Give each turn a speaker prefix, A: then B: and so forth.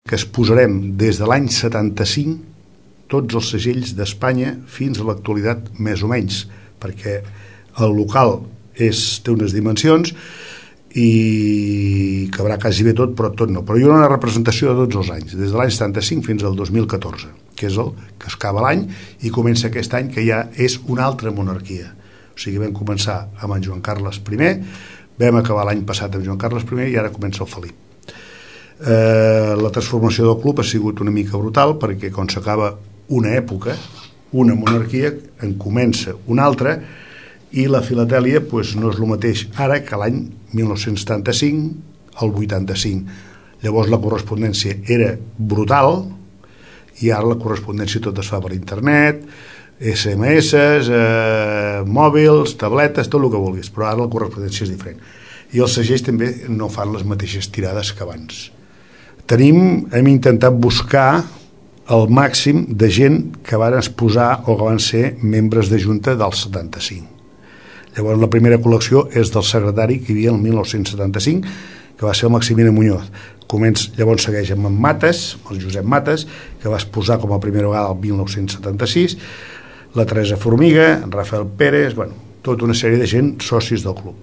A: que es posarem des de l'any 75 tots els segells d'Espanya fins a l'actualitat, més o menys, perquè el local té unes dimensions i cabrà quasi bé tot, però tot no. Però hi ha una representació de tots els anys, des de l'any 75 fins al 2014, que és el que es acaba l'any i comença aquest any, que ja és una altra monarquia. O sigui, vam començar amb en Joan Carles I, vam acabar l'any passat amb Joan Carles I i ara comença el Felip. La transformació del club ha sigut una mica brutal, perquè quan s'acaba una època, una monarquia, en comença una altra, i la filatèlia no és el mateix ara que l'any 1975 al 85. Llavors la correspondència era brutal i ara la correspondència tot es fa per internet, SMS, mòbils, tabletes, tot el que vulguis, però ara la correspondència és diferent. I els segells també no fan les mateixes tirades que abans. Hem intentat buscar el màxim de gent que van exposar o que van ser membres de junta del 75. Llavors la primera col·lecció és del secretari que hi havia el 1975, que va ser el Maximino Muñoz. Llavors segueix amb en Mates, el Josep Mates, que va exposar com a primera vegada el 1976, la Teresa Formiga, en Rafael Pérez, tota una sèrie de gent socis del club.